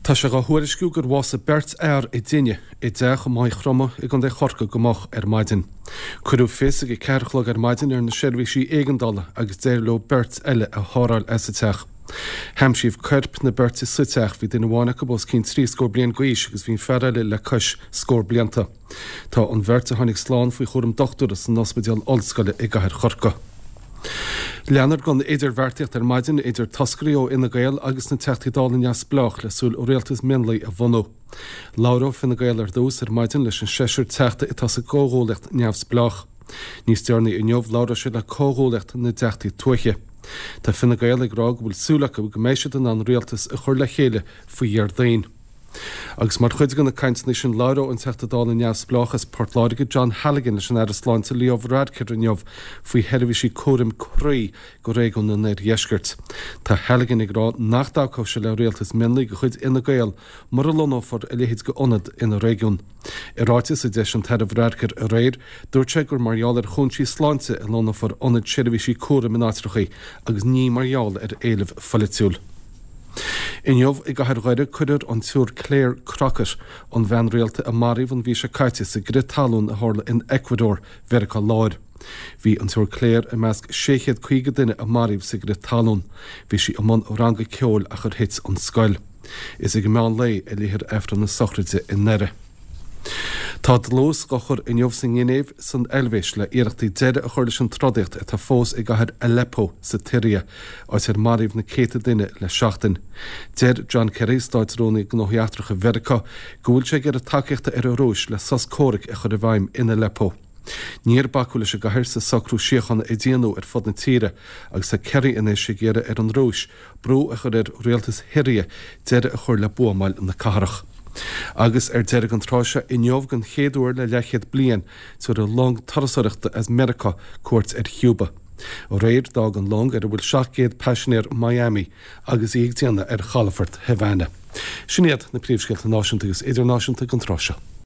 Tá sé dhá thuairisciú gur bhásaigh beirt fhear i dtine i dteach i Maigh Chromtha i gContae Chorcaí go moch ar maidin. Cuireadh fios ag 4 a chlog ar maidin ar na seirbhísí éigeandála agus d'éirigh leo beirt eile a sháráil as an teach. Haimsíodh coirp na beirte sa teach, bhí duine amháin acu os cionn trí scór bliain d'aois agus bhí an fear eile le cois scór blianta. Tá an bheirt a tháinig slán faoi chúram dochtúra san Ospidéal Ollscoile i gcathair Chorcaí. Leanfar den idirbheartaíocht ar maidin idir toscairí ó Fhine Gael agus na Teachtaí Dála neamhspleách le súil rialtas mionlaigh a bhunú. Labhróidh Fine Gael ar dtús ar maidin leis an seisear teachta atá sa gcomhghuaillíocht neamhspleách. Níos deireanaí inniu labhróidh siad le comhghuaillíocht na dTeachtaí Tuaithe. Tá Fine Gael ag rá go bhfuil súil acu go mbeidh siad in ann rialtas a chur le chéile faoi Dhéardaoin. Agus mar chuid de na cainteanna sin labhróidh an Teachta Dála neamhspleách as Port Láirge John Halligan leis an Aire Sláinte Leo Varadkar inniu faoi sheirbhísí cúraim croí go réigiún an Oirdheiscirt. Tá Halligan ag rá nach dtacóidh sé le rialtas mionlaigh de chuid Fhine Gael mura lonnófar a leithéid d'ionad ina réigiún. I ráiteas a d'eisigh an tAire Varadkar aréir, dúirt sé gur mar gheall ar chúinsí sláinte a lonnófar ionaid seirbhísí cúraim in áitreachaí agus ní mar gheall ar éileamh pholaitiúil. Inniu i gcathair Dhoire cuirfear an tSiúr Clare Crockett, an bhean rialta a maraíodh an mhí seo caite sa gcrith talún a tharla in Ecuador, Mheiriceá Láir. Bhí an tSiúr Clare i measc 650 duine a maraíodh sa gcrith talún. Bhí sí i mbun ranga ceoil ach ar thit an scoil. Is ag meán lae a léifear Aifreann na sochraide i nDoire. Tá dlús á chur inniu sa nGinéiv san Eilvéis le iarrachtaí deireadh a chur leis an trodaíocht atá fós i gcathair Aleppo sa tSiria, áit ar maraíodh na céadta duine le seachtain. Deir John Kerry, Státrúnaí Gnóthaí Eachtracha Mheiriceá, go bhfuil sé ag iarraidh tacaíochta ar an Rúis le sos comhraic a chur i bhfeidhm in Aleppo. Níor bacadh leis an gcathair sa socrú síochána a déanadh ar fud na tíre agus tá Kerry anois ag iarraidh ar an Rúis brú a chur ar rialtas Shiria deireadh a chur le buamáil na cathrach. Agus ar deireadh an tráth seo inniu den chéad uair le leathchéad bliain tabharfaidh long turasóireachta as Meiriceá cuairt ar Chúba. Aréir d'fhág an long ar a bhfuil 700 paisinéir Miami agus í ag déanamh ar chalafort Havana. Sin iad na príomhscéalta náisiúnta agus idirnáisiúnta don tráth seo.